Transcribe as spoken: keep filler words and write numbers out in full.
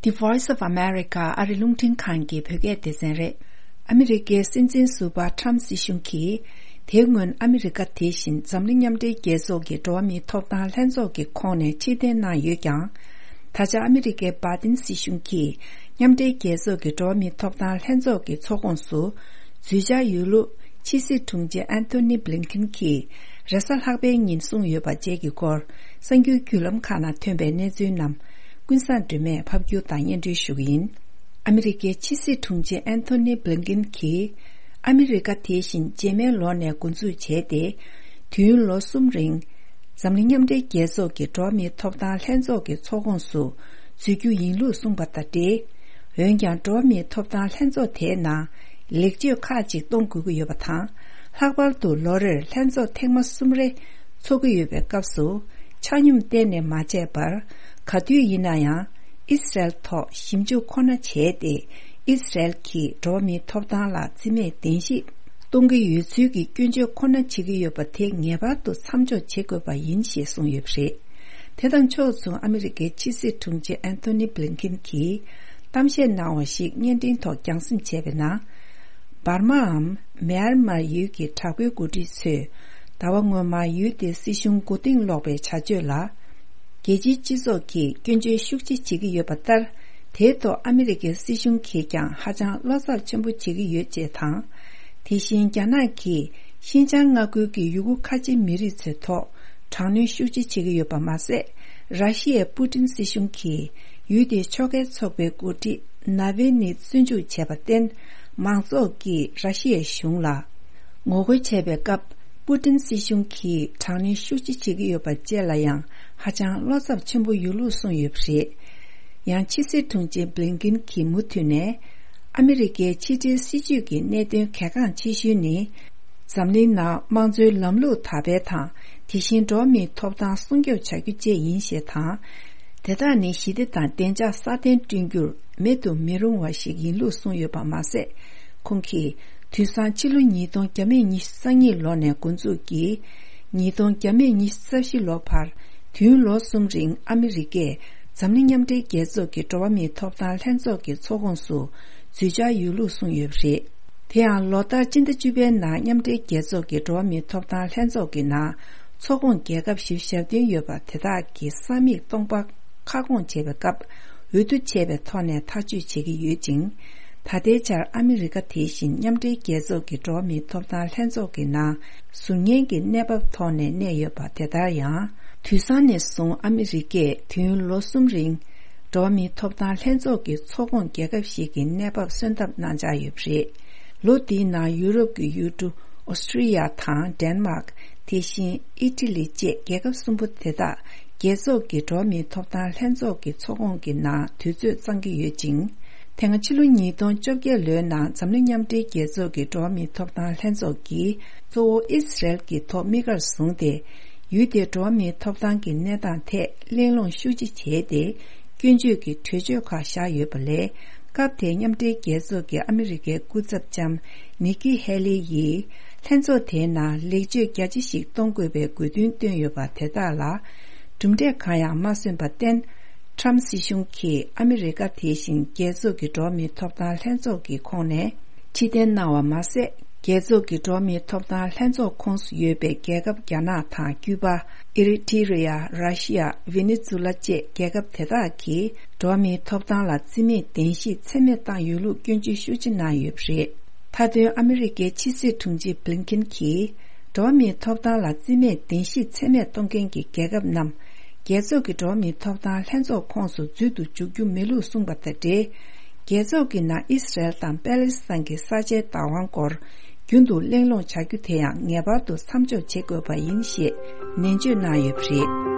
The Voice of America ཨ་རི་རླུང་འཕྲིན་ཁང་གི་བོད་སྐད་སྡེ་ཚན་རེད། ཨ་མི་རི་ཀའི་སྲིད་འཛིན་ཟུར་པ་ཊམ་སྲིད་གཞུང་གིས། དེ་སྔོན་ཨ་མི་རི་ཀ་དེ་བཞིན་འཛམ་གླིང་མཉམ་འབྲེལ་རྒྱལ་ཚོགས་ཀྱི་འགྲོ་བ་མིའི་ཐོབ་ཐང་ལྷན་ཚོགས་ཀྱི་ཁོངས་ནས་ཕྱིར་འཐེན་གནང་ཡོད་ཀྱང་། ད་ཆ་ཨ་མི་རི་ཀའི་བྷའི་ཏིན་སྲིད་གཞུང་གིས་མཉམ་འབྲེལ་རྒྱལ་ཚོགས་ཀྱི་འགྲོ་བ་མིའི་ཐོབ་ཐང་ལྷན་ཚོགས་ཀྱི་ཚོགས་ཁོངས་སུ་འཛུལ་འཆར་ཡོད་ལུགས་ཕྱི་སྲིད་དྲུང་ཆེ་ཨན་ཐོ་ནི་བྷི་ལིན་ཁིན་གྱིས་རེས་གཟའ་ལྷག་པའི་ཉིན་གསུངས་ཡོད་པ་བཅས་ཀྱི་སྐོར། གསར་འགྱུར་བརྒྱུད་ལམ་ཁག་ནང་ཐོན་པའི་གནས་ཚུལ་རྣམས་ཀུན་བཟང་སྒྲོལ་མས་ཕབ་སྒྱུར་དང་སྙན་སྒྲོན་ཞུ་གི་ཡིན། ཨ་མི་རི་ཀའི་ཕྱི་སྲིད་དྲུང་ཆེ་ཨན་ཐོ་ནི་བྷི་ལིན་ཁིན་གྱིས། ཨ་མི་རི་ཀ་དེ་བཞིན་རྗེས་མའི་ལོ་ནས་འགོ་འཛུགས་བྱས་ཏེ། དུས་ཡུན་ལོ་གསུམ་རིང་། འཛམ་གླིང་མཉམ་འབྲེལ་རྒྱལ་ཚོགས་ཀྱི་འགྲོ་བ་མིའི་ཐོབ་ཐང་ལྷན་ཚོགས་ཀྱི་ཚོགས་ཁོངས་སུ་འཛུལ་རྒྱུ་ཡིན་ལུགས་གསུངས་པ་དང་འབྲེལ། འོན་ཀྱང་། འགྲོ་བ་མིའི་ཐོབ་ཐང་ལྷན་ཚོགས་དེའི་ནང་ལེགས་བཅོས་ཁག་ཅིག་གཏོང་དགོས་ཀྱི་ཡོད་པ་དང་། ལྷག་པར་དུ་ལོ་རེར་ལྷན་ཚོགས་ཐེངས་མ་གསུམ་རེ་འཚོགས་ཀྱི་ཡོད་པའི་སྐབས་སུ། ཆ་སྙོམས་གཏན་ནས་མ་བྱས་པར། ག་དུས་ཡིན་ན་ཡང་། ཨི་སི་རལ་ཐོག་ཞིབ་འཇུག་ཁོ་ན་བྱས་ཏེ། ཨི་སི་རལ་གྱིས་འགྲོ་བ་མིའི་ཐོབ་ཐང་ལ་བརྩི་མེད་གཏན་ཞིག་གཏོང་གི་ཡོད་ཚུལ་གྱི་སྐྱོན་བརྗོད་ཁོ་ན་བྱེད་ཀྱི་ཡོད་པ་དེ་ངེས་པར་དུ་མཚམས་འཇོག་བྱེད་དགོས་པ་ཡིན་ཞེས་གསུངས་ཡོད་པ་རེད། དེ་དང་ཕྱོགས་མཚུངས། ཨ་མི་རི་ཀའི་ཕྱི་སྲིད་དྲུང་ཆེ་ཨན་ཐོ་ནི་བྷི་ལིན་ཁིན་གྱིས་གཏམ་བཤད་གནང་བ་ཞིག་བརྙན་འཕྲིན་ཐོག་རྒྱང་སྲིང་བྱས་པའི་ནང་། འབར་མའམ་མེན་མར་ཡུལ་གྱི་དྲག་པོའི་འགོ་ཁྲིད་ཚོས་ཟླ་བ་སྔོན་མ་ཡུལ་དེའི་སྲིད་གཞུང་མགོ་རྟིང་སློག་པའི་བྱ་སྤྱོད་ལ། རྒྱལ་སྤྱིའི་སྤྱི་ཚོགས་ཀྱིས་སྐྱོན་བརྗོད་ཤུགས་ཆེ་བྱེད་ཀྱི་ཡོད་པ་ལྟར། དེའི་ཐོག་ཨ་མི་རི་ཀའི་སྲིད་གཞུང་གིས་ཀྱང་ཧ་ཅང་བློ་འཚབ་ཆེན་པོ་བྱེད་ཀྱི་ཡོད་ཅེས་དང་། དེ་བཞིན་རྒྱ་ནག་གིས་ཤིན་ཅང་མངའ་ཁུལ་གྱི་ཡུ་གུར་ཁ་ཆེ་མི་རིགས་ཚོའི་ཐོག་དྲག་གནོན་ཤུགས་ཆེ་བྱེད་ཀྱི་ཡོད་པ་མ་ཟད། ར་ཤི་ཡའི་པུ་ཏིན་སྲིད་གཞུང་གིས་ཡུལ་དེའི་ཕྱོགས་འགལ་ཚོགས་པའི་འགོ་ཁྲིད་ན་ཝེ་ནི་བཙོན་འཇུག་བྱས་པར་བརྟེན། མང་ཚོགས་ཀྱིས་ར་ཤི་ཡའི་གཞུང་ལ་ངོ་རྒོལ་བྱས་པའི་སྐབས། པུ་ཏིན་སྲིད་གཞུང་གིས་དྲག་གནོན་ཤུགས་ཆེ་བྱེད་ཀྱི་ཡོད་པ་བཅས་ལ་ཡང་ཧ་ཅང་བློ་འཚབ་ཆེན་པོ་ཡོད་ལུགས་གསུངས་ཡོད་པ་རེད། ཡང་ཕྱི་སྲིད་དྲུང་ཆེ་བྷི་ལིན་ཁིན་གྱིས་མུ་མཐུད་ནས། ཨ་མི་རི་ཀའི་ཕྱི་འབྲེལ་སྲིད་ཇུས་ཀྱི་གནད་དོན་གལ་འགངས་ཆེ་ཤོས་ནི། འཛམ་གླིང་ནང་དམངས་གཙོའི་ལམ་ལུགས་དར་སྤེལ་དང་། དེ་བཞིན་འགྲོ་བ་མིའི་ཐོབ་ཐང་སྲུང་སྐྱོབ་བྱ་རྒྱུ་བཅས་ཡིན་ཞེས་དང་། དེ་དག་ནི་ཞི་བདེ་དང་བདེ་འཇགས་སྲ་བརྟན་བསྐྲུན་རྒྱུར་མེད་དུ་མི་རུང་བ་ཞིག་ཡིན་ལུགས་གསུངས་ཡོད་པ་མ་ཟད། ཁོང་གིས། དུས་སང་ཕྱི་ལོ་ཉིས་སྟོང་བརྒྱ་མེད་ཉི་ཤུ་རྩ་གཉིས་ལོ་ནས་འགོ་འཛུགས་ཀྱིས། ཉིས་སྟོང་བརྒྱ་མེད་ཉི་ཤུ་རྩ་བཞི་ལོ་བར། དུས་ཡུན་ལོ་གསུམ་རིང་ཨ་མི་རི་ཀས་འཛམ་གླིང་མཉམ་འབྲེལ་རྒྱལ་ཚོགས་ཀྱི་འགྲོ་བ་མིའི་ཐོབ་ཐང་ལྷན་ཚོགས་ཀྱི་ཚོགས་ཁོངས་སུ་འཛུལ་འཆར་ཡོད་ལུགས་གསུངས་ཡོད་པ་རེད། དེ་ཡང་ལོ་ལྟར་སྤྱི་ཟླ་བཅུ་པའི་ནང་མཉམ་འབྲེལ་རྒྱལ་ཚོགས་ཀྱི་འགྲོ་བ་མིའི་ཐོབ་ཐང་ལྷན་ཚོགས་ཀྱི་ནང་ཚོགས་ཁོངས་རྒྱལ་ཁབ་བཞི་བཅུ་ཞེ་བདུན་ཡོད་པ་དེ་དག་གི་ས་མིག་སྟོང་པ་ཁ་སྐོང་བྱེད་པའི་སྐབས། འོས་བསྡུ་བྱས་པའི་ཐོག་ནས་ཐག་གཅོད་བྱེད་ཀྱི་ཡོད་ཅིང་། ད་ལྟའི་ཆར་ཨ་མི་རི་ཀ་དེ་བཞིན་མཉམ་འབྲེལ་རྒྱལ་ཚོགས་ཀྱི་འགྲོ་བ་མིའི་ཐོབ་ཐང་ལྷན་ཚོགས་ཀྱི་ནང་ཟུར་ཉན་གྱི་གནས་བབ་ཐོག་ནས་གནས་ཡོད་པ་དེ་ལྟར་ཡང་། དུས་སང་ནས་བཟུང་ཨ་མི་རི་ཀས་དུས་ཡུན་ལོ་གསུམ་རིང་འགྲོ་བ་མིའི་ཐོབ་ཐང་ལྷན་ཚོགས་ཀྱི་ཚོགས་ཁོངས་རྒྱལ་ཁབ་ཞིག་གི་གནས་བབ་སོན་ཐབས་གནང་འཆར་ཡོད་པ་རེད། ལོ་འདིའི་ནང་ཡུ་རོབ་ཀྱི་ཡུལ་གྲུ་ཨོ་སི་ཀྲི་ཡ་དང་ཌེན་མཱག་དེ་བཞིན་ཨི་ཊ་ལི་བཅས་རྒྱལ་ཁབ་གསུམ་པོ་དེ་དག་རྒྱལ་ཚོགས་ཀྱི་འགྲོ་བ་མིའི་ཐོབ་ཐང་ལྷན་ཚོགས་ཀྱི་ཚོགས་ཁོངས་ཀྱི་ནང་དུས་ཚོད་བརྩམས་ཀྱི་ཡོད་ཅིང་། དེ་སྔ་ཕྱི་ལོ་ཉིས་སྟོང་བཅོ་བརྒྱད་ལོའི་ནང་འཛམ་གླིང་མཉམ་འབྲེལ་རྒྱལ་ཚོགས་ཀྱི་འགྲོ་བ་མིའི་ཐོབ་ཐང་ལྷན་ཚོགས་ཀྱིས་གཙོ་བོ་ཨི་སི་རལ་གྱི་ཐོག་དམིགས་གར་བཟུང་སྟེ། ཡུལ་དེའི་འགྲོ་བ་མིའི་ཐོབ་ཐང་གི་གནས་སྟངས་ཐད་གླེང་སློང་ཤུགས་ཆེ་བྱས་ཏེ། སྐྱོན་བརྗོད་ཀྱི་གྲོས་ཆོད་ཁག་བཞག་ཡོད་པ་ལས། སྐབས་དེའི་མཉམ་འབྲེལ་རྒྱལ་ཚོགས་ཀྱི་ཨ་མི་རི་ཀའི་སྐུ་ཚབ་ལྕམ་ནི་ཀི་ཧེ་ལི་ཡིས། ལྷན་ཚོགས་དེའི་ནང་ལེགས་བཅོས་རྒྱ་ཆེ་ཞིག་གཏོང་དགོས་པའི་དགོས་འདུན་བཏོན་ཡོད་པ་དེ་དག་ལ། གྲུབ་འབྲས་གང་ཡང་མ་སོན་པར་བརྟེན། ཊམ་སྲིད་གཞུང་གིས་ཨ་མི་རི་ཀ་དེ་བཞིན་རྒྱལ་ཚོགས་ཀྱི་འགྲོ་བ་མིའི་ཐོབ་ཐང་ལྷན་ཚོགས་ཀྱི་ཁོངས་ནས་ཕྱིར་འཐེན་གནང་བ་མ་ཟད། རྒྱལ་ཚོགས་ཀྱི་འགྲོ་བ་མིའི་ཐོབ་ཐང་ལྷན་ཚོགས་ཁོངས་སུ་ཡོད་པའི་རྒྱལ་ཁབ་རྒྱ་ནག་དང་ཀྱུ་པ། ཨི་རི་ཊི་རི་ཡ། ར་ཤི་ཡ། ཝེ་ནེ་ཛུ་ལ་བཅས་རྒྱལ་ཁབ་དེ་དག་གིས་འགྲོ་བ་མིའི་ཐོབ་ཐང་ལ་བརྩི་མེད་གཏན་ཞིག་ཚད་མེད་བཏང་ཡོད་ལུགས་སྐྱོན་བརྗོད་ཤུགས་ཆེ་གནང་ཡོད་པ་རེད། མཐའ་དོན། ཨ་མི་རི་ཀའི་ཕྱི་སྲིད་དྲུང་ཆེ་བྷི་ལིན་ཁིན་གྱིས། འགྲོ་བ་མིའི་ཐོབ་ཐང་ལ་བརྩི་མེད་གཏན་ཞིག་ཚད་མེད་གཏོང་མཁན་གྱི་རྒྱལ་ཁབ་རྣམས། རྒྱལ་ཚོགས་ཀྱི་འགྲོ་བ་མིའི་ཐོབ་ཐང་ལྷན་ཚོགས་ཁོངས་སུ་འཛུལ་དུ་འཇུག་རྒྱུ་མེད་ལུགས་གསུངས་པ་དང་འབྲེལ། རྒྱལ་ཚོགས་ཀྱི་ནང་ཨི་སི་རལ་དང་པེ་ལེ་སི་ཐན་གྱི་ས་ཆའི་བདག་དབང་སྐོར། རྒྱུན་དུ་གླེང་སློང་བྱ་རྒྱུ་དེ་ཡང་ངེས་པར་དུ་མཚམས་འཇོག་བྱེད་དགོས་པ་ཡིན་ཞེས་ནན་བརྗོད་གནང་ཡོད་པ་རེད།